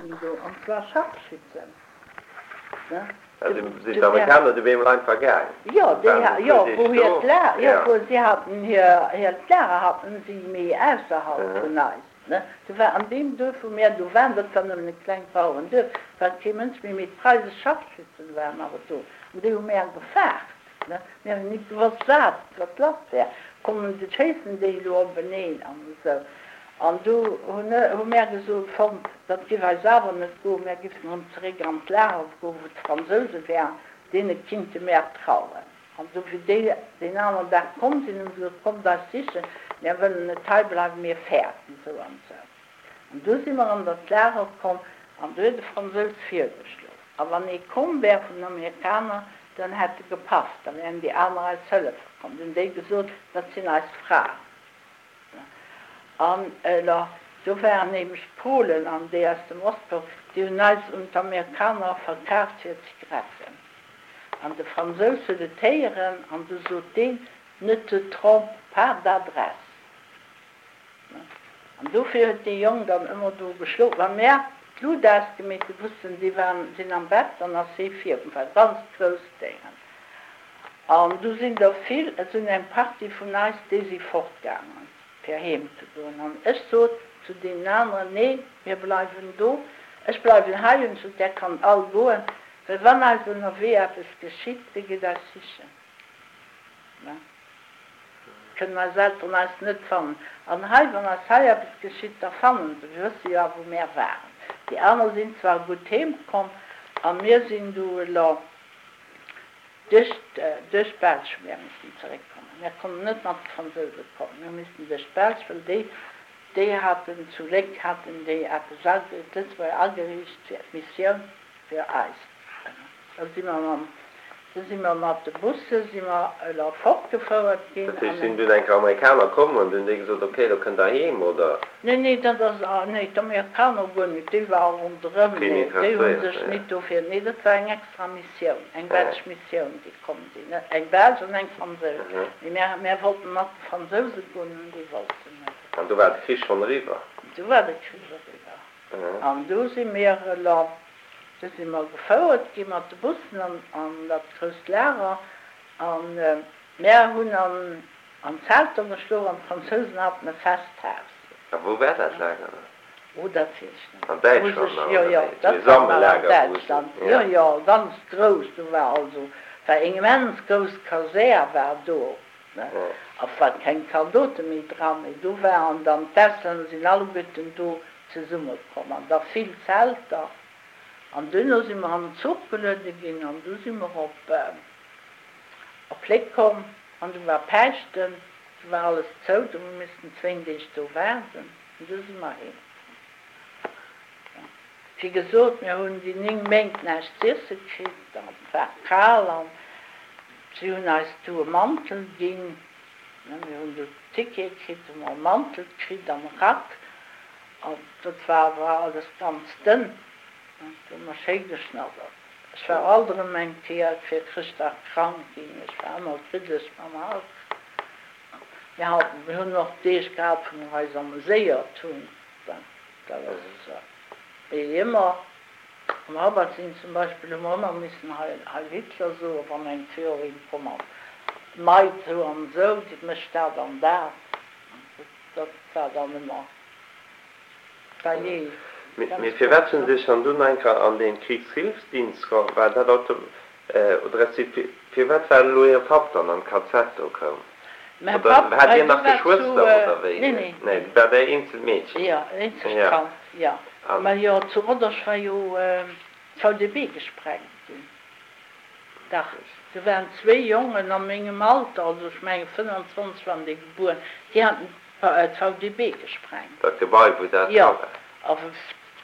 ginn do, an zwar Scharfschützen, ne. Sinn d'Amerikaner du bemol einfach gaang? Jo, déi, jo, wou hiert La, jo, wou si haten hir, hiert Lager haten si méi ausserhalb vun eis, ne. Do war an deem Duerf, wou mär do waren, dat war nëmmen e klengt Bauerenduerf, war kee Mënsch méi, mee d'preisesch Scharfschützen waren awer do, an déi hu mär gefaart, ne. Mir hunn nit gewosst, wat, wat lass wär, kommen, schéissen déi elo openeen an esou. An du hunn hu mär gesot, fonnt, dat giff eis awer net goen, mär giffen erëm zeréck an d'Lager goen, wou d'Fransouse wären, deene kinnte mär trauen. An du wéi déi deen aneren Dag komm sinn, hu se gesot, kommt eis sichen, mär wëllen net hei bleiwen, mir fäerten esou an esou. An du si mer an dat Lager komm, an du huet e Fransous virgeschloen, a wann ee komm wär vun den Amerikaner, dann hätt e gepafft, da wären déi aner eis hëllefe komm. Du hunn déi gesot, dat sinn eis Fraen. An elo, do waren nämlech d'Polen an déi aus dem Ostblock, déi hunn eis un d'Amerikaner verkaaft fir Zigaretten. An de Fransous huet et héieren an du sot deen, Ne te trompe pas d'adresse. An dofir huet dee Jong dann ëmmer do geschlof. Wa mär d'Lut ausgemeet hunn, wussten déi waren, sinn am Bett, dann ass hee virkomm, war ganz grousst Déngen. An du sinn der vill, et sinn eng Partie vun eis, déi si fortgaangen, fir heem ze goen. An ech sot zu deenen aneren, Nee, mir bleiwen do, ech bleiwen hei. Hunn ech gesot, Där kannt all goen, well wann eis ënnerwee eppes geschitt, wie geet eis sichen? Ne? Kënnen eis Elteren eis net fannen. An hei, wann eis hei eppes geschitt, da fannen se, mir wësse jo awer, wou mär waren. Déi aner sinn zwar gutt heemkomm, a mir sinn du elo. Duerch duerch d'Belsch hu mär missen zeréckkommen. Mär konnten net mat de Fransouse kommen. Mir hu missen duerch d'Belsch, well déi, déi haten zu Léck haten déi eppes age, d'Lëtzebuerger ageriicht fir d'Missioun fir eis. Da si mer mam, du si mer mat de Busse si mer elo fortgefouert ginn. Dat heescht, sinn dunn eng Kéier Amerikaner komm an hunn déi gesot, ok, elo kënnt der heem, oder? Nee, nee, dat ass, nee, d'Amerikaner guer net, déi ware ronderëm, nee, déi hu sech nit dofir, nee, dat war eng extra Missioun, eng belsch Missioun, déi komm sinn, eng belsch an eng franséisch, mee mär, mär wollten mat de Fransouse goen an déi wollten net. An du war de Krich schonn eriwwer? Du war de Krich eriwwer an du si mir elo, du si mer gefouert gi mat de Bussen an, an dat grousst Lager an mär hunn an, An Zelter geschlof an d'Fransousen haten e Festhaus. A wou war dat Lager dann? Oh, dat weess ech net. An Däitschland nach, Jo, oder jo, wéi? dat Esou e war nach an Sammellager, wou se, Däitschland. ja. Jo, jo, ganz grouss. Do war also, war eng immens grouss Kasär war do, ne? A war keng Zaldote méi dran, mee do waren dann, d'Auslänner sinn alleguerten do zesummekomm an da vill Zelter. An duerno si mer an den Zuch geluede ginn an du si mer op, op Léck komm. An du war Päischten, du war alles zou, du hu missten zwéin Deeg do waarden an du si mer heem komm. Wéi gesot, mir hunn déi 9 Méint näischt z'iesse kritt an et war kal an si hunn eis du e Mantel ginn, mir hunn du Tickete kritt, hu mer e Mantel kritt an e Rack an dat war awer alles ganz dënn, do hu mer schéi geschnaddert. Ech war alt erëm eng Kéier fir Chrëschtdag krank ginn. Ech war ëmmer kriddeg mam Hals. Mir haten, mir hunn och Deeg gehat, wou mer eis ameséiert hunn. Dat ass esou. Mee ëmmer am Rabat sinn zum Beispill hu mer ëmmer missen Heil, Heil Hitler soen, wann eng Führerin komm ass. D'Maid esou an esou, déi mécht dat an dat. Dat war dann ëmmer. Mee firwat hunn se sech dann dunn enker an den Kriegshilfsdienst geholl? War dat auto oder respektiv firwat war elo hire Papp dann an d'KZ do koum? Mäi Oder Papp, hat well dir du nach war Geschwëster zu, oder wéi? nee, nee, Nee, nee. war där eenzelt Meedchen? Jo, eenzegt Ja. Kand, jo. An. Mä jo, zu Rodange war jo d'VDB gesprengt ginn. Dach, do waren zwéi Jongen a mengem Alter, also ech menge 25 waren déi gebuer, déi haten d'VDB gesprengt. Dat Gebai, wou dat dra Jo, war. awer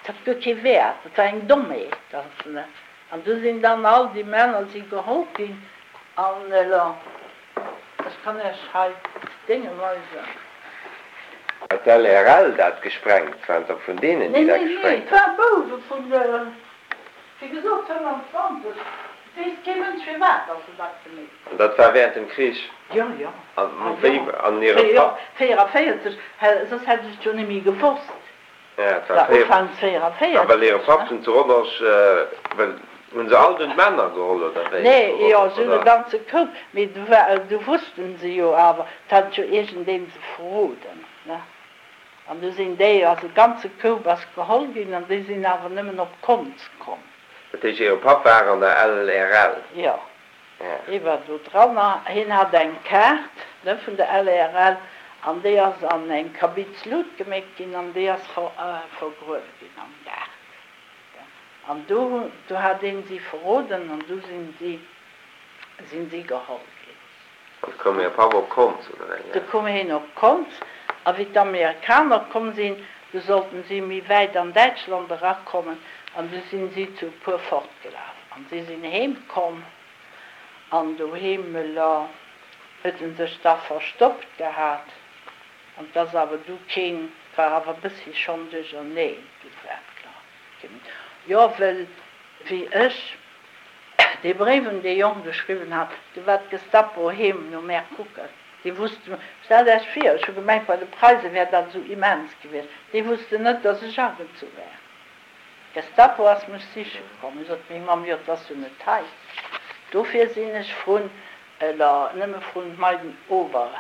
et hat guer kee Wäert, et war eng Dommheet. An du sinn dann all déi Männer si geholl ginn an elo, ech kann Iech hei d'Dénge weisen. Hat d'LRL dat gesprengt? Waren et der vun deenen, Nee, déi dat nee, nee, gesprengt et hunn? ware Bouwe vun de. Wéi gesot, 25, et weess kee Mënsch firwat dass se dat gemeet An dat war während dem Krich? Jo, jo. An Ah wéi, jo, an hire Papp? 44, soss hätt ech et jo net méi gewosst. War Ufank 44. A well hire Papp dunn zu Rodange, well hunn se all dunn d'Männer geholl, oder wéi? Nee, jo, se hunn e ganze Koup, mee du war, du wussten se jo awer, 't hat jo iergendeen se verroden, ne? An du sinn déi, also e ganze Koup ass geholl ginn, an déi sinn awer nëmmen op Konz komm. Dat heescht, hire Papp war an der LRL? Jo. Hie war do dran a hien hat eng Kaart, ne, vun der LRL an déi ass an eng Kabitz Lut geméckt ginn an déi ass vergruewe ginn am Gaart. An do hunn, do hat een si verroden an du sinn si, sinn si geholl ginn. An du koum hire Papp op Konz, oder wéi? Du koum hien op Konz a wéi d'Amerikaner komm sinn, du sollten si méi wäit an Däitschland erakommen an du sinn si zu e puer fortgelaf an si sinn heem komm an doheem huet en sech da verstoppt gehat an 't ass awer du keen, 't war awer e bëssi schonn duercherneen, du war et klar keen méi, jo well wéi ech dee Bréif un dee Jong geschriwwen hat, du war d'Gestapo heem no mär kucken. Déi wussten, stellt Äech vir, ech hu gemengt bei de Preise wär dat esou immens gewiescht, déi wussten net, datt ech agezu wär. D'Gestapo ass mech siche komm. Ech sot, Meng Mamm, jo, 't ass jo net hei. Dofir sinn ech vrun, eller nëmme vrun d'Meiden Ober,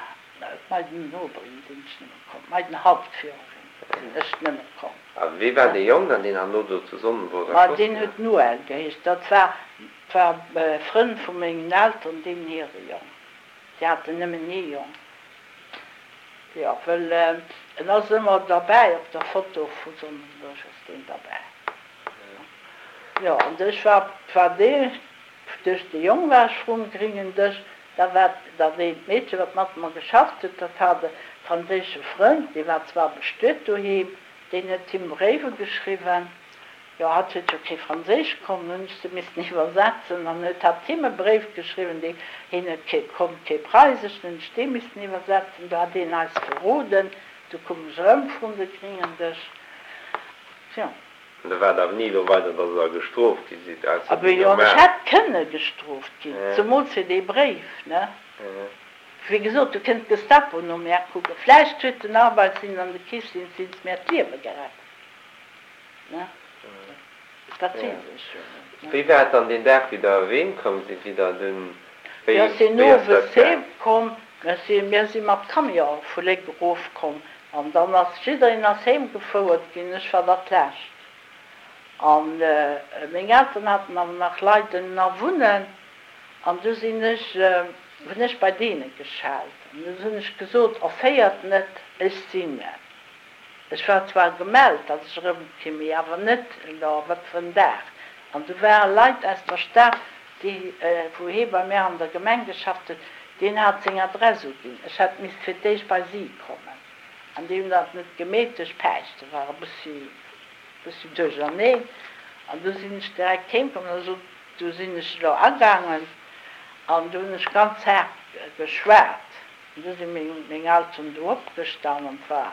d'Meiden Oberin sinn ech nëmme komm, d'Meiden Hauptführerin sinn ech nëmme komm. A wee war dee Jong dann, deen herno do zu Sonnenburg Ma erschoss deen ginn huet ass? Noël geheescht. Dat war, war e Frënd vu mengen Elteren, deenen hire Jong. Déi haten nëmmen ee Jong. Jo, wëll en ass ëmmer derbäi, op der Foto vu Sonnenburg ass deen derbäi. Jo, an ech war, war dee, duerch de Jong war ech vrum gringen Dësch, da war dat eent Meedche, wat mat mer geschafft huet, dat hat e franséische Frënd, dee war zwar bestuet doheem, deen huet him Bréiwe geschriwwen. Jo, hatt huet jo kee Franséisch konnt, hunn ech se missen iwwersetzen. An huet hatt him e Bréif geschriwwen, dee, hien huet kee, konnt kee Preisesch, dann hunn ech dee missen iwwersetzen. Du hat deen eis verroden. Du koum ech erëm vrun de gringen Dësch. Tjo. An da war et awer ni elo weider, datt Der gestrooft gi sidd, ausser Abee déi jo, an ech normal. hätt kënne gestrooft ginn, zemools fir dee Bréif, ne? Wéi gesot, du kënnt d'Gestapo no mär kucken. Vläicht huet den Arbeitsdienst an de Krichsdienst mär d'Liewe gerett. Dat weess ech jo net, ne? Wéi war et dann deen Dag, wéi Der erém komm sidd, wéi Der dunn, wéi, Mir sinn wéi ass owes dat heem gaang? komm, mir si, mir si mat Camion vu Léck erof komm an dann ass jiddereen ass heem gefouert ginn, ech war dat lescht. An meng Elteren haten awer nach Leit ënner wunnen an du sinn ech, hunn ech bei deene geschellt an du hunn ech gesot, Erféiert net, ech sinn et. Ech war zwar gemellt, datt ech erëmkinn, mee awer net elo wat fir en Dag. An du ware Leit aus der Stad, déi, wou hee bei mär an der Gemeng geschafft huet, deen hat seng Adress uginn. Ech hätt misst fir d'éischt bei si kommen. An déi hunn dat net gemeet duerch Päischte war e bëssi, bëssi duercherneen. An du sinn ech direkt heem komm an da sot, du sinn ech elo agaangen an du hunn ech ganz haart geschwat. An du si meng Elteren do opgestan an 't war,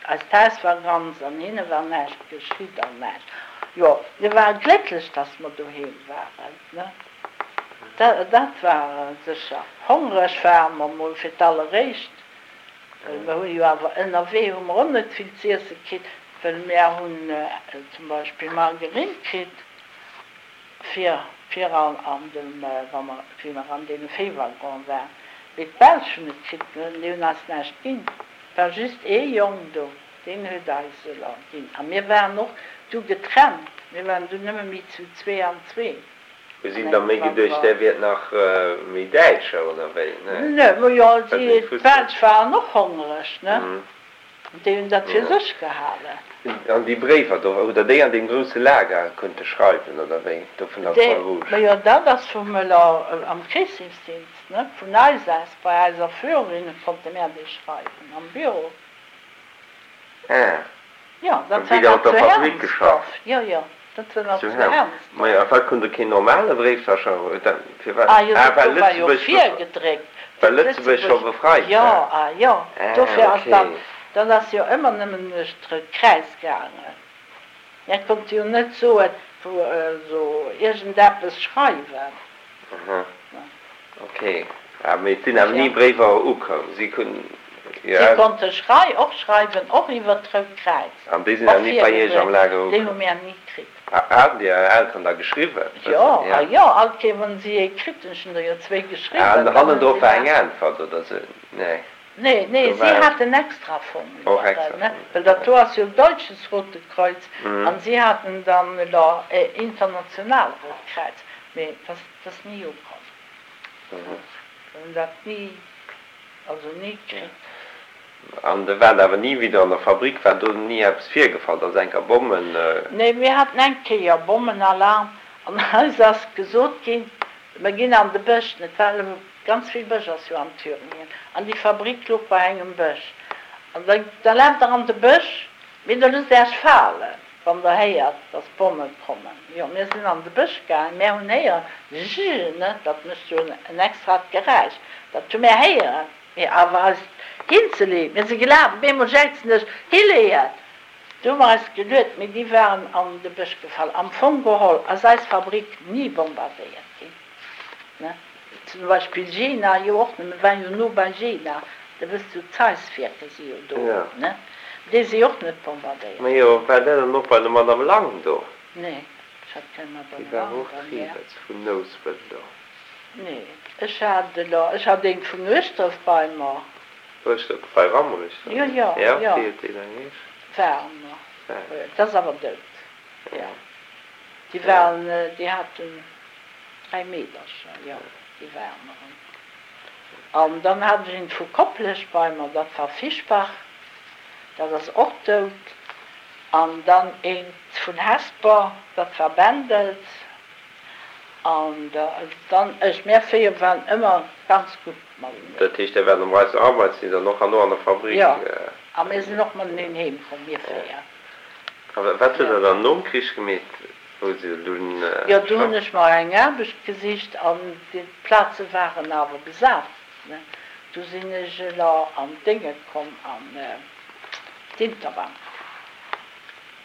eist Haus war ganz an hinne war näischt geschitt an näischt. Jo, mir ware glécklech, dass mer doheem waren, ne, dat war sécher. Hongreg ware mer mol fir d'alleréischt, well mer hu jo awer ënnerwee hu mer och net vill z'iesse kritt, well mär hunn zum Beispill Margerinn kritt. Fir, fir an, an dem, wa mer, wéi mer an deene Véiwaggon waren, mee d'Belsch hunn et kritt, déi hunn eis näischt ginn. Et war just ee Jong do, deen huet eis elo ginn. A mir waren och du getrennt, mir waren du nëmme méi zu zwee an zwee Hu si an da engem méi geduecht, Waggon. där wiert nach méi Däitscher, oder wéi? Nee, Nö, ma jo, well se si, net wussten. d'Belsch waren och hongreg, ne? Déi hunn dat fir sech gehalen. An déi Bréiwer do, hutt Der déi an deem grousse Lager kunnte schreiwen, oder wéi, do vun der Croix-Rouge? Majo, dat ass vum Möller am Krichshilfsdienst, ne? Vun eis aus, bei eiser Führerin konnte mär déi schreiwen am Büro. Ah, Jo, dat wéi war Der nach op der zu Fabrik Hermsdorf. geschafft? Jo, jo, dat war nach Zu zu Herm. Hermsdorf. Majo, a wat konnt Der keen normale Bréif da schreiwen? Huet dat, firwat? Ah jo, Ah, dat well do war jo Lëtzebuerg befreit. virgedréckt, Well dat Lëtzebuerg scho Lëtzebuerg, befreit jo, war. ah jo, Ah, dofir ass dat, okay. dat ass jo ëmmer nëmmen duerch d'Rout Kräiz gaangen. Mir konnte jo net soen, wou esou iergendeppes schreiwen. Aha, okay. Ah, mee et sinn awer Dofir. ni Bréiwer ukomm. Si kun. Si konnte schrei och schreiwen, och iwwer d'Rout Kräiz. An déi sinn awer ni bei Iech am Lager ukomm? Déi hu mär ni kritt. Haten déi Är Elteren da geschriwwen? Jo, a jo, all Kéier wann si ee kritt hunn, ech hunn der jo zwéi geschriwwen, dann hunn si mer. An hannendrop war eng Äntwert oder sou? Nee. Nee, nee, si haten extra Formulairen, ne, well dat do ass jo Deutsches Rote Kreuz an si haten dann elo International Rout Kräiz, mee dat ass ni ukomm. Mir hunn dat ni, also ni kritt. An der waart awer ni wieder an der Fabrik, war do ni eppes virgefall, dass enker Bommen. Nee, mir haten eng Kéier Bommenalarm an eis ass gesot ginn, mer ginn an de Bësch, et war ganz vill Bësch ass jo an Thüringen, an déi Fabrik louch bei engem Bësch, an da da laaft der an de Bësch, mee da loosst Äech falen, wann der héiert, dass d'Bomme kommen. Jo, mir sinn an de Bësch gaangen, mär hunn héieren, Jjjj, ne, dat mécht jo en extrat Geräisch, dat hu mär héieren. Mee awer eis hinzeleeën, mir si gelaf, op eemol jäizen ech, Hileeën! Du hu mer eis geluet, mee déi waren an de Bësch gefall. Am Fong geholl ass eis Fabrik ni bombardéiert ginn, ne? Zum Beispill Jena jo och net, mir waren jo no bei Jena, da wësst du, d'Zeiss-Wierker si jo do, ne? Déi si och net bombardéiert ginn. Majo, war där dann och bei der Madame Lang do? Nee, ech hat keng Madame Lang Déi war och bei mär. Triebetz vun Nouspelt do. Nee, ech hat elo, ech hat een vun Ueschdref bei mer. Ueschdref bei Rammerich dann? Jo, jo, jo. Wéi huet déi dann geheescht? Werner. Jo, dat ass awer dout. Jo, déi waren, déi haten 3 Meedercher, jo, déi Werneren. An dann hat ech een vu Koplescht bei mer, dat war Fischbach, dat ass och dout. An dann eent vun Hesper, dat war Bendels. An dann ech, mär 4 waren ëmmer ganz gutt mateneen. Dat heescht, Dir waart am Reichs Arbeitsdienst an och herno an der Fabrik? Jo, a mir sinn och mateneen heem komm, mir 4. A wat hutt Der dann nom Krich gemeet, wou se dunn. Jo, do hunn ech mer eng Aarbecht gesicht an d'Plaze waren awer besat, ne. Du sinn ech elo an d'Dénge komm, an d'Interbank.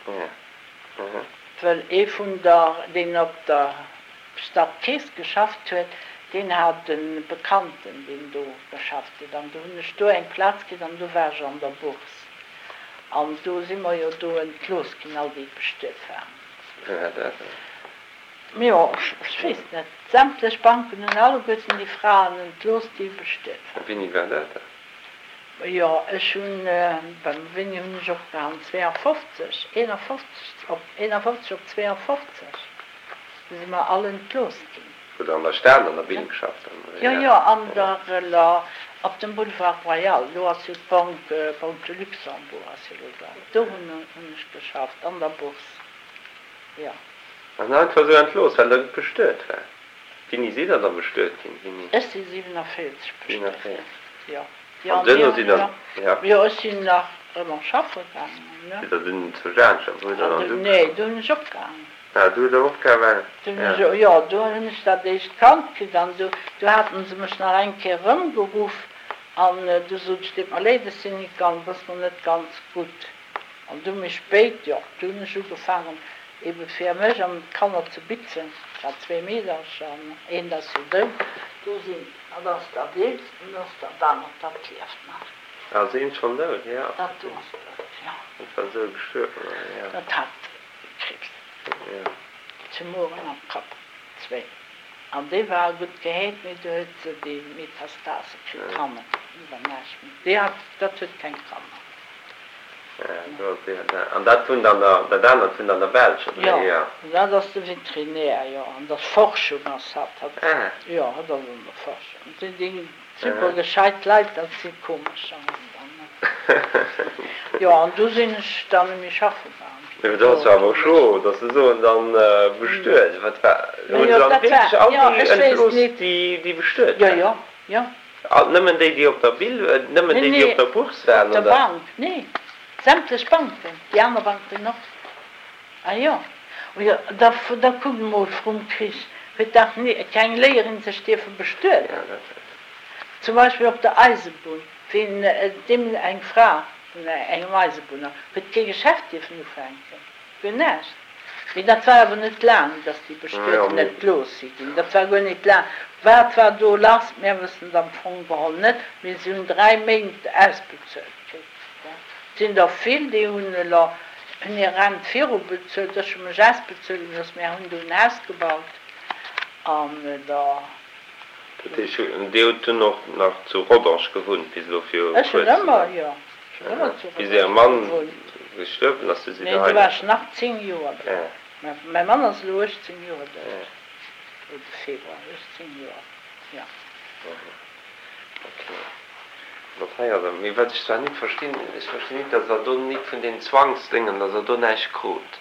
Jo. Wëll ee vun der, deen op der Stadkeess geschafft huet, deen hat e Bekannten, deen do geschafft huet. An du hunn ech do eng Plaz kritt an du war ech an der Bourse. An do si mer jo do entlooss ginn, all déi bestuet waren. Wéi war dat dann? Jo, ech weess net. Sämtlech Banken hunn alleguerten déi Fraen entlooss, déi bestuet waren. Wéini war dat dann? Jo, ech hunn, beim wéini hunn ech opgehalen, 52, 51, op 51 op 52, du si mer all entlooss ginn. Hutt Der an der Stad an der Binn geschafft dann, oder? Jo, jo, an der, la, op dem Boulevard Royal, elo ass jo d'Banque, Banque de Luxembourg ass jo elo da, do hunn hunn ech geschafft, an der Bourse, jo. An einfach esou entlooss, well Der bestuet waart? Wéini sidd Der da bestuet ginn? Wéini? Ech si 47 bestuet ginn, jo. An duerno sidd Der, ja. Jo, ech sinn nach ëmmer schaffe gaangen, ne. Sidd Der dunn zu Jaanscht, wou hutt Der dann du geschafft? Nee, do hunn ech opgehaangen. Ah, do hutt Der opgehaangen, Do hunn ech, jo, do hunn ech dat éischt Kand kritt an du, du haten se mech nach eng Kéier erëmgeruff an du sot ech, Deet mer leed, ech sinn nit ganz, et ass mer net ganz gutt. An du méi spéit, jo, du hunn ech ugefaangen ebe fir mech an d'Kanner ze bitzen, ech hat zwee Meedercher an eent ass jo dout, do sinn, dat ass dat eelst an dat ass dat anert, dat lieft nach. Ah, ass eent schonn dout? Jo. Dat do ass dout, jo. Dat war esou gestuerwen, oder? Jo. Dat hat Kriibs. Jo. Tumoren am Kapp, zwéin. An déi war gutt geheelt, mee du huet se déi Metastase kritt hannen, iwwer näischt méi. Déi hat, dat huet keng Kanner. An dat wunnt an der, dat anert wunnt an der Belsch, oder? Jo, dat ass de Veterinär, jo, an der Forschung ass hatt, hatt, jo, hatt ass an der Forschung. Déi, déi super gescheit Leit, dat si komescher dann, ne? Jo, an du sinn ech dann méi schaffe gaangen. Jo, dat ass jo awer scho, datt se soen, dann bestuet. Wat war, hu se dann wierklech all déi entlooss, déi bestuet waren? Jo, jo, jo. Nëmmen déi, déi op der Bill, nëmmen déi, déi op der Bourse waren, oder? Op der Bank, nee, sämtlech Banken, déi aner Banken och. Ah jo, jo, da, da kuckt emol, vrum Krich huet dach ni keng Léierin sech dierfe bestueden. Zum Beispill op der Eisebunn, ween deem eng Fra vun engem Eisebunner huet kee Geschäft dierfen ufänken, guer näischt. Mee dat war awer net laang, dass déi Bestueten net gelooss si ginn. Dat war guer net laang. Wat war do lass? Mär wëssen et am Fong geholl net, mee si hunn 3 Méint ausbezuelt kritt. Et sinn der vill, déi hunn elo hunn hir Rent viru bezuelt. Ech hu mech ausbezuele gelooss. Mär hunn do en Haus gebaut an da. Dat heescht, Dir hutt dunn och nach zu Rodange gewunnt bis elo viru Ech hunn kuerzem? ëmmer, jo. Ech hunn ëmmer zu Bis Äre Rodange Mann gewunnt. gestuerwen ass, du sidd Nee, Der do hei war nach? ech nach 10 Joer do. Mäi Mann ass elo 18 Joer dout, elo de Februar, 18 Joer, jo. Ok. Dat hei ass awer, mee wat ech zwar nit verstinn, ech verstinn nit, dass Der do nit vun den Zwangsdéngen, dass Der do näischt krut.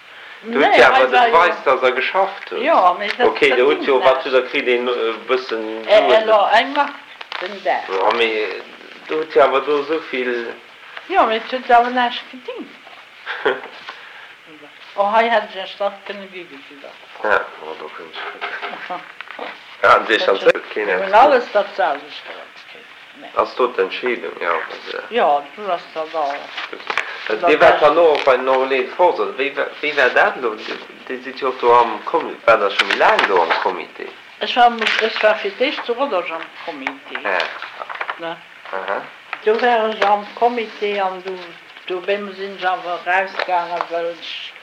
Do hutt Nee, Dir hei awer de war jo. Beweis, dass Der geschafft hutt. Jo, mee dat Ok, dat do hutt dingt jo, wat hutt näischt. Der kritt, een e bëssen Suen? Elo eng Mark den Dag. Jo, mee do hutt Dir awer do esou vill. Jo, mee et huet awer näischt gedingt. Oh, hei hätt ech Iech dach kënne gi gesitt Der. Ja, oh, do kënnt ech. Ja, an Dir schonn huet keen Mir eppes hunn gesot. alles dat selwecht erëmkritt. Nee. Ass do d'Entscheedung, jo, wa se. Jo, do ass dat all. Gutt. Dir waart dann och bei den Enrôlés de force, oder wéi, wéi war dat elo? Dir sidd jo och do am Comité, waart Der scho méi laang do am Comité? Ech war, ech war fir d'éischt zu Rodange am Comité, ne. Do war ech am Comité an do, dobäi sinn ech awer erausgaangen, well ech,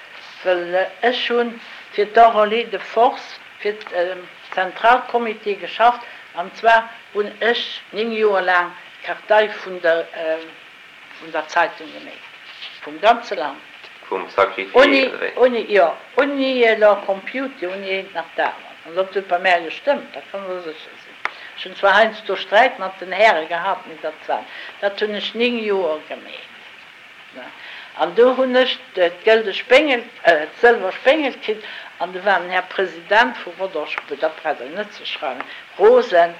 well ech hunn fir d'Enrôlés de force, fir d'Zentralcomité geschafft an zwar hunn ech 9 Joer laang d'Kartei vun der, vun der Zeitung geméit, vum ganze Land. Vum Sacrifié, oder wéi? Ouni, jo, ouni elo Computer, ouni eent nach d'anert. An dat huet bei mär gestëmmt, dat kann der sécher sinn. Ech hunn zwar heiansdo Sträit mat den Häre gehat, mee dat war, dat hunn ech 9 Joer gemeet, ne. An do hunn ech d'gëlde Spéngel, d'sëlwer Spéngel kritt, an do war den Här President vu Rodange, dat braucht Der net ze schreiwen, rosen,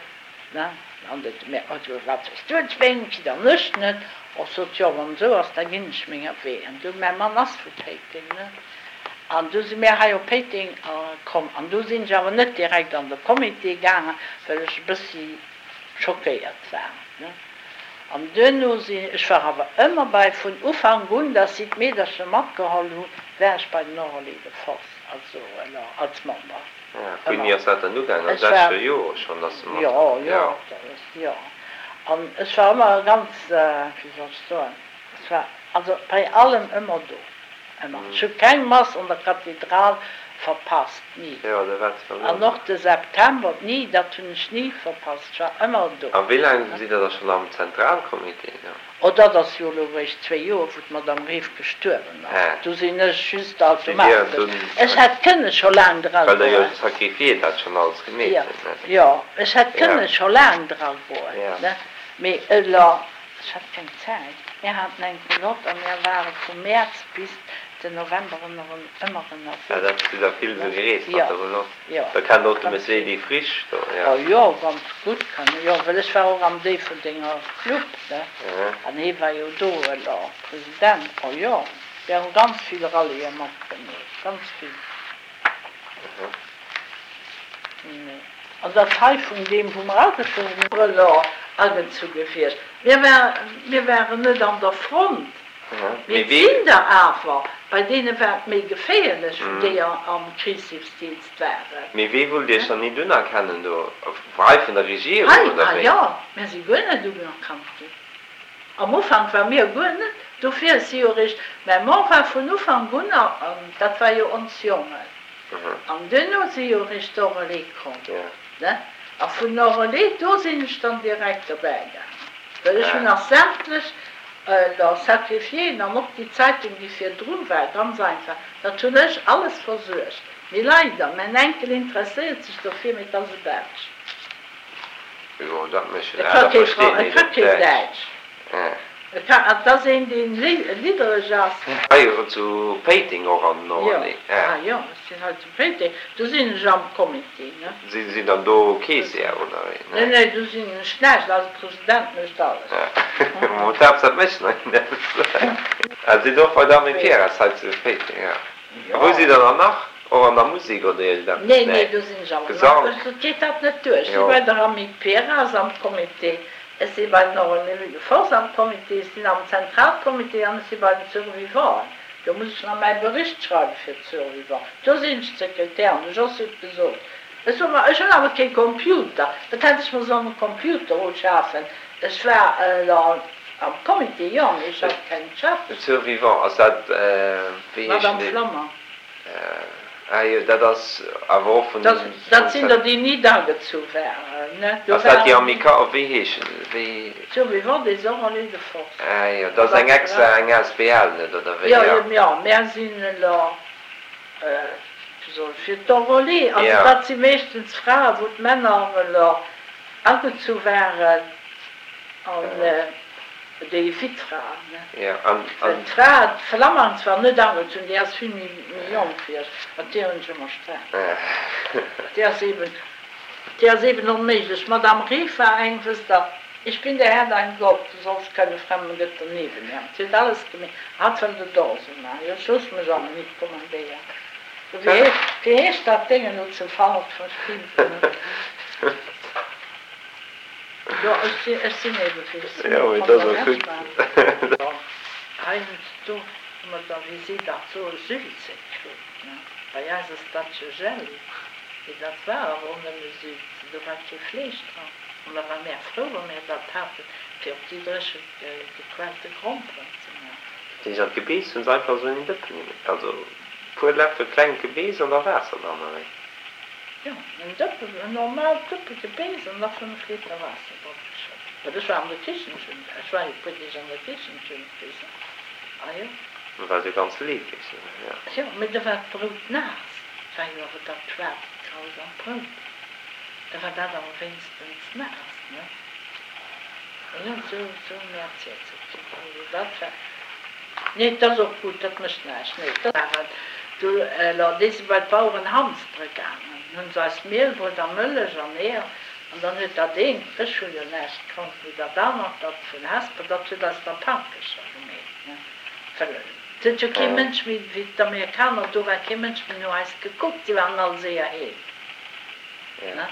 Ne? An de mä also wat hues du et wéinst an ech net? Och sot, jo wann esou ass, da ginn ech menger Wee. An du, mäi Mann ass vu Péiteng, ne? An du si mir hei op Péiteng komm. An du sinn ech awer net direkt an de Comité gaangen, well ech e bëssi schockéiert war, ne? An duerno sinn, ech war awer ëmmer bei, vun Ufank un, datt si d'Meedercher matgeholl hunn, war ech bei den Enrôlés de Force, also als Member. Wéini ass dat dann ugaangen? An sechzeger Jore schonn, dass se mat. Jo, jo, dat ass, jo. An ech war ëmmer ganz, wéi soll ech soen, ech war also bei allem ëmmer do, ëmmer. Ech hu keng Mass an der Kathedral verpasst, ni. Jo, da waart se dann An och de September, ni, dat hunn ech ni verpasst, ech war ëmmer do. A wéi laang sidd Der da schonn am Zentralcomité? Oh, dat ass jo elo eréischt zwéi Joer, wou d'Madame Greeff gestuerwen ass. Do sinn ech just automatesch. Ech hätt kënne scho laang dra Well der jo goen. de Sacrifié dat schonn alles gemeet huet, ne? Jo, ech hätt kënne scho laang dra goen, ne? Mee elo, ech hat keng Zäit. Mir haten eng Roulotte a mir ware vu Mäerz bis den November ëmmer ënnerwee. Ja, dat sidd der vill esou gereest mat der Roulotte. Jo, Da kennt och de ganz Monsieur vill. Edy Frisch do, jo. Oh jo, ganz gutt kann e, jo, well ech war och am Déifferdenger Club, ne, an hee war jo do elo President. Oh jo, mir hu ganz vill Rallye matgemeet, ganz vill. Nee, an dat hei vun deem, wou mer agezogen hunn. Elo agezu gewiescht. Mir war, mir waren net an der Front. Mee et sinn der awer, bei deene war et méi geféierlech, wou déi am Krichshilfsdienst waren. Mee wee wullt Iech dann nit unerkennen do? Hei vun der Regierung, Hei, oder ah wéi? jo, mär si guer net unerkannt ginn. Am Ufank war mir guer net, dofir si jo eréischt, mä mer war vun Ufank un, an dat war jo ons Jongen, an duerno si jo eréischt d'Enrôlés komm, ne? A vun Enrôlés, do sinn ech dann direkt dobäi gaangen, well ech hunn nach sämtlech La sacrifiéen an och déi Zeitung déi virdru war, ganz einfach, dat hunn ech alles versuergt. Mee leider, mäin Enkel interesséiert sech dofir, mee et ass e Belsch. Jo, dat mécht E jo, ka da kee versteet Fran, e een ka op keen Däitsch. Däitsch. E ka, et ass een deen liddereg ass. Hei zu Péiteng och an den Jo, Orly. ah jo, ech sinn hei zu Péiteng, do sinn ech am Comité, ne. Si sinn dann do Keessière oder wéi? Nee, nee, do sinn ech näischt, eise President mécht alles. Mo d'Haaptsaach et mécht nach een eppes. Ah, sidd och bei der Armée Pierres hei zu Péiteng, jo. A wou sidd der dann nach? Och an der Musek oder iergendeppes? Nee, nee, do sinn ech awer nach. Gesank? Et geet dat net duer. Ech si bei der Armée Pierres am Comité, ech si bei den Enrôlés de force am Comité, ech sinn am Zentralcomité an ech si bei den Survivanten. Do muss ech nach mäi Bericht schreiwe fir d'Survivants. Do sinn ech d'Sekretär an de Jos huet gesot, ech sot, ma ech hunn awer kee Computer, wat hätt ech mer sollen e Computer uschafen? Ech war elo am Comité, jo, mee ech hat keng Beschäftegung. D'Survivants, ass dat, wéi heeschen déi? Madame Flammer. Ah jo, dat ass awer och vun. Dat sinn der, déi nit agezu waren, ne? Ass dat déi Amicale, wéi heeschen déi? Survivants des Enrôlés de force. Ah jo, dat ass eng extra, eng asbl, net, oder wéi? Jo, jo, mär sinn elo, wéi soll ech, fir d'Enrôlés. Also dat si meeschtens Frae wou d'Männer elo agezu waren an déi Wittfraen, ne? Well d'Fra, d'Flammang zwar net agezunn, déi ass vill méi jonk wéi ech, mat deer hunn ech ëmmer Sträit. Déi ass eben. Déi ass eben onméiglech. D'Madame Riff war eng, wësst Der, Ich bin der Herr dein Gott, du sollst keine fremden Götter neben mir haben. Si huet alles gemeet. Hatt wëllt et och esou maachen. Jo, ech loosse mech awer nit kommandéieren. Du, wéi heescht, wéi heescht dat Déngen elo ze falsch, verstinn se net. Jo, ech sinn, ech sinn ebe wéi ech sinn. Jo, mee dat ass och gutt. Bon, heiansdo hu mer da, wéi si dat soen, Sülze kritt, ne? Bei eis ass dat jo Jelli. Mee dat war awer och nëmme Sülze, do war kee Fleesch dran. An da war mär frou, wa mär dat haten, fir op déi dréche gequellte Gromperen ze maachen. Dat heescht, an d'Gebeess hunn se einfach esou in een Dëppen gemeet, also e puer Läffel klengt Gebeess an da Waasser dran, oder wéi? Jo, en Dëppen, en normaalt Dëppe Gebeess an da 5 Liter Waasser drop geschëtt. Well ech war an der Kichen, ech hunn, ech war jo e puer Deeg an der Kichen, ech hunn et gewisen, ah jo. Da war et jo ganz leefeg, jo. Jo, mee da war d'Brout naass. Et war jo awer dat schwaarzt grausamt Brout. Da war dat awer wéinstens naass, ne? Jo, sou, sou hu mir erzielt ze kritt. Also dat war, nee, 't ass och gutt, dat mécht näischt, nee, dat war et. Du, alors, déi si bei d'Baueren hamstere gaangen, hunn se eis Mielbrout a Mëllech an Eeër, an dann huet dat eent, ech hu jo näischt kannt, mee dat anert, dat vun Hesper, dat huet eis da Paankercher gemeet, ne? Well et huet jo kee Mënsch méi, wéi d'Amerikaner do waren, kee Mënsch méi no eis gekuckt, si waren all séier heem. Ja.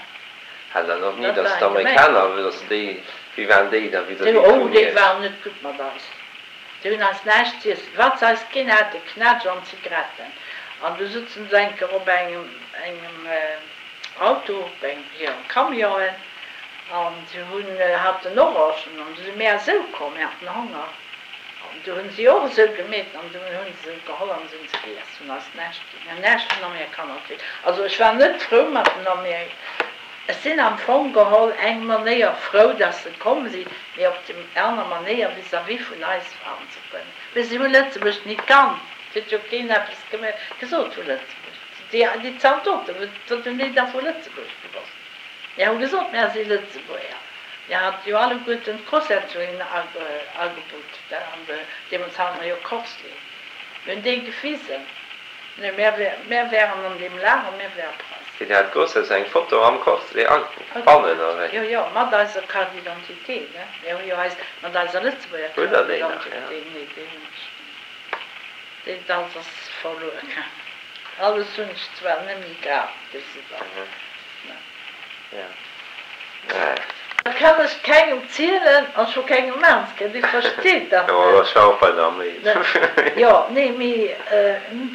Hat dann och ni, dass d'Amerikaner, dass déi, wéi waren déi da vis-à-vis Oh, vun déi Iech? waren net gutt mat eis. Déi hunn eis näischt z'iessen, wat se eis ginn haten, Knätsch an Zigaretten. An du sutzen se eng Kéier op engem, engem Auto, op engem, hirem Camionen, an se hunn, haten Orangen, an du si mär esou komm, mir haten Honger. An du hunn si och esou gemeet an du hunn se se geholl an se hunn se giess, hunn eis näischt ginn. Mir hunn näischt vun Amerikaner kritt. Also ech war net frou mat den Amer, ech sinn am Fong geholl eng Manéier frou, dass se komm sinn, mee op déi aner Manéier vis-à-vis vun eis waren se guer net. Mee se hu Lëtzebuerg nit kannt, et huet jo keen eppes gesot vu Lëtzebuerg. Déi, déi Zaldoten, wat hunn déi da vu Lëtzebuerg gewosst? Mir hu gesot, mär si Lëtzebuerger. Mir hate jo alleguerten d'Corsetzungen agebutt, an deemools hate mer jo Corsley. Mir hunn déi gewisen. Nee, mär wären an deem Lager, mär wäre Preisen. Dir hat d'Corsetzung, eng Foto am Corsley bannen, oder wéi? Jo, jo, mat eiser Carte d'identité, ne? Mir hu jo eis, mat eiser Lëtzebuerger Carte d'identité. Nee, déi hunn ech net. Déi, dat ass verluer gaangen. Alles hunn ech zwar net méi grad gesi, Dat kann ech kengem zielen an scho kengem Maanske, dee versteet dat net. Jo, nee, mee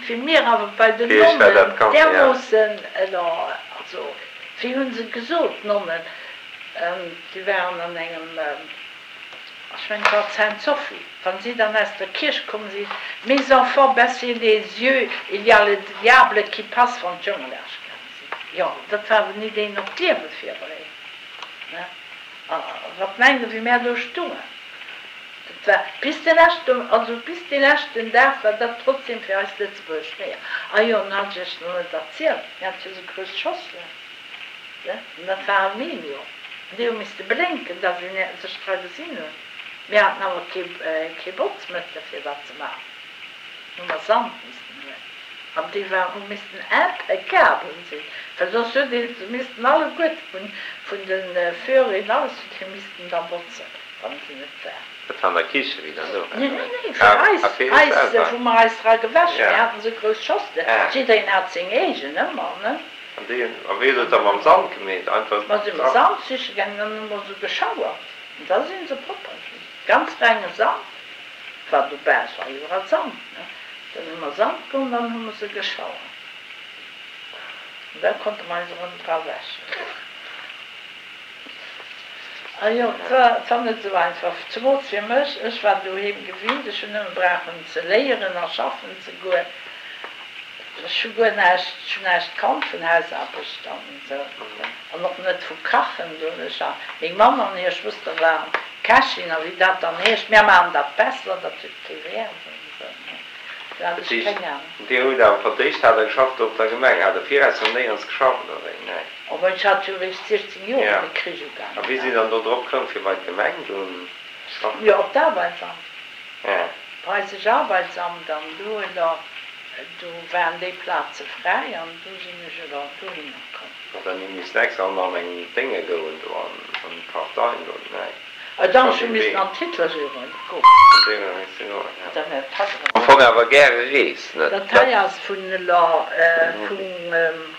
fir mir awer bei den Nonnen därmoossen, also wéi hu se gesot, d'Nonnen, déi waren an engem, ech mengen et war d'Sainte-Sophie, wann si dann aus der Kierch komm sinn, Mes enfants, baissez les yeux, il y a le diable qui passe, wann d'Jonge laanscht gaange sinn. Jo, dat war awer nit een op d'Liewe virbereet, ne? A wat mengt Der, wéi mär do stungen? Dat war bis de leschten, also bis dee leschten Dag war dat trotzdem fir eis Lëtzebuerger schwéier. A jo, an hat ech Iech nach net erzielt, mir hate jo esou grouss Schosselen, ne? An dat war Aluminium. An déi hu misste blénken, datt een sech dra gesinn huet. Mir haten awer kee, kee Botzmëttel, fir dat ze maachen. Hu mer Sand missten huelen. An déi war hu missten impeccabel sinn, well soss huet ee se missten alleguerte vun vun de Furien alles huet ee missten da botzen, wann se net war. Dat war an der Kiche wéi dann do war, Nee, nee, nee, fir eis, eis, wou mer eis dra gewäsch hunn. Mir haten esou grouss Schosselen, jiddereen hat seng eegen ëmmer, ne. An déi hunn, a wéi hutt Der et da mam Sand gemeet? Einfach Mer si mat Sand siche gaangen an hu mer se geschauert an da si se propper ginn. Ganz renge Sand war dobäi, et war iwwerall Sand, ne. Dann hu mer Sand geholl an dann hu mer se geschauert. An da konnte mer eis erëm dra wäschen. A jo, et war, et war net esou einfach, zemools fir mech. Ech war doheem gewinnt, ech hunn nëmme brauchen ze léieren a schaffen ze goen. Ech hu guer näischt, ech hunn näischt kannt vun Hausaarbecht an esou an och net vu Kachen. Do hunn ech a meng Mamm an hir Schwëster waren Kächin a wéi dat dann heescht, mär maachen dat besser, dat huet kee Wäert an esou. Do hat Dat ech heescht, keng Ahnung. Dir hutt awer fir d'éischt hat Der geschafft do op der Gemeng. Hat Der viraus nach néierens geschafft oder wéi? Nee. Oh, ech hat jo eréischt 16 Joer, Ja. wéi de Krich A ugaangen wéi sidd ass. Der dann do drop koum, fir bei d'Gemeng dunn schaffen? Jo, op d'Arbeitsamt. Ja. Preisescht Arbeitsamt an do elo, do waren déi Plaze fräi an do sinn ech elo dohinner komm. Hutt Der ni missen extra och nach an eng Dénge goen do an d'Partei do? Nee. Ah dach, ech hu missen an d'Hitlerjugend goen. An déi huet misse goen, ja. Am Fong awer gäre reest, net? Dat hei ass vun elo vu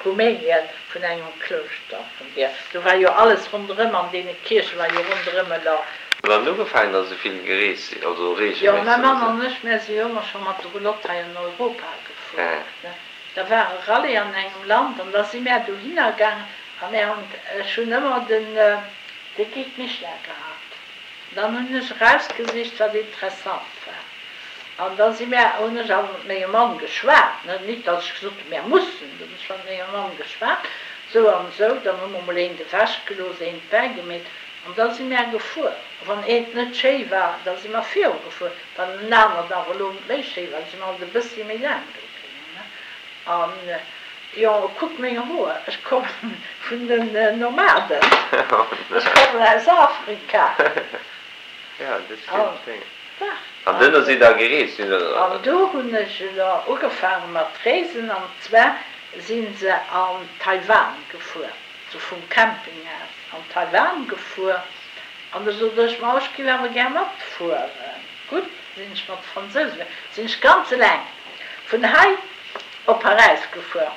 Rumänien, vun engem Klouschter vun deer. Do war jo alles ronderëm, an deene Kierche war jo ronderëm elo. Hutt Der dann ugefaangen, datt esou vill gereest sidd, also Jo, reegelméisseg mäi oder Mann sou? an ech, mär si jo ëmmer scho mat de Roulotte hei an Europa gefuer, ne. Da war e Rallye an engem Land an da si mär dohinner gaangen a mär hunn, ech hunn ëmmer den, de Guide Michelin gehat. Dann hunn ech erausgesicht, wat interessant war. An da si mär, hunn ech awer mat mengem Mann geschwat, ne, nit datt ech gesot hunn, mär mussen, do hunn ech mat mengem Mann geschwat, esou an esou. Dann hu mer mol eent ewechgelooss, eent bäigemeet an da si mär gefuer. A wann eent net schéi war, da si mer virugefuer. Wann en anert awer elo méi schéi war, da si mer alt e bëssi méi laang do bliwwen, ne. An jo, kuck meng Hoer, ech kommen vun den Nomaden, ech kommen aus Afrika. An duerno sidd der gereest? An do hunn ech elo ugefaange mat reesen, an zwar si se an Taiwan gefuer, sou vum Camping aus an Taiwan gefuer. An du sot ech, ma ech giff awer gär matfueren. Gutt, sinn ech mat de Fransousen gefuer, sinn ech ganz eleng vun hei op Paräis gefuer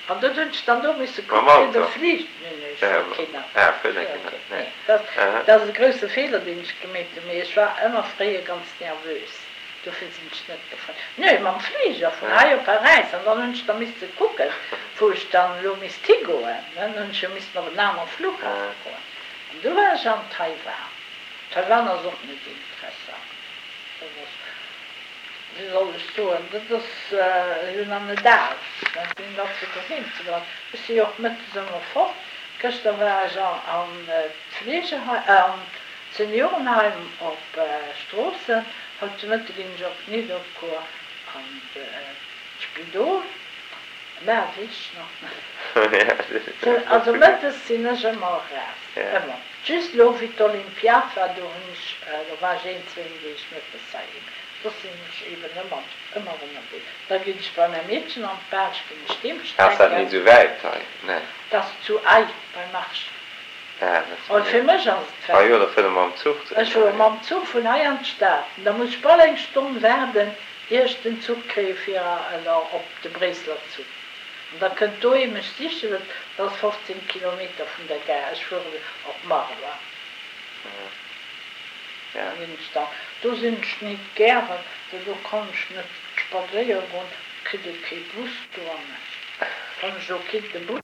an dot hunn ech dann do misse Mam kucken fir de Auto? Flich, nee, nee, ech fuer keen Auto, Ah, ech fuer fuer keen keen, nee. nee, dat dat ass e grousse Feeler deen ech gemeet hunn, mee ech war ëmmer fréier ganz nervös, dofir sinn ech net gefuer, nee, mam Fliger vun hei op Paräis an dann hunn ech da misse kucken, wou ech dann elo misst higoen, ne, dann hunn ech jo missen op en anere Flughafe goen an du war ech an Taiwan. Taiwan ass och net interessant. Dat ass, wéi soll ech soen, dat ass jo nach net al, sinn dat fir doheem ze bleiwen. Ech si jo och mëttes ëmmer fort. Gëschter war ech an d'Fleegeheim, an d'Seniorenheim op Stroossen. Haut de Mëtte ginn ech op Nidderkuer an d'Spidol. Mä weess ech nach net. Also mëttes sinn ech ëmmer eraus, ëmmer. Just elo wéi d'Olympiad war, do hunn ech, do war ech een, zwéin Deeg mëttes heiheem. Soss sinn ech eben ëmmer, ëmmer ënnerwee. Da ginn ech bei mäi Meedchen an d'Belsch, ginn ech deem Ass dat strecken. nit esou wäit hei? Nee. Dat ass zu Ay bei Marche. Ah, dat ass Oh, fir mech ass et Ah wäit. jo, da fuert Der mam Zuch zu Ech fuere mam Zuch vun hei an d'Stad. Da muss ech bal eng Stonn waarden, ier ech den Zuch kréie fir elo op de Bréisseler Zuch. An da kënnt do ee mech sichen, dat ass 15 Kilometer vun der Gare, ech fueren op Marloie. Da ginn ech dann, do sinn ech nit gären, well do kann ech net spadséiere goen, kritt ee kee Bus do an ech, wann ech elo kinnt de Bus.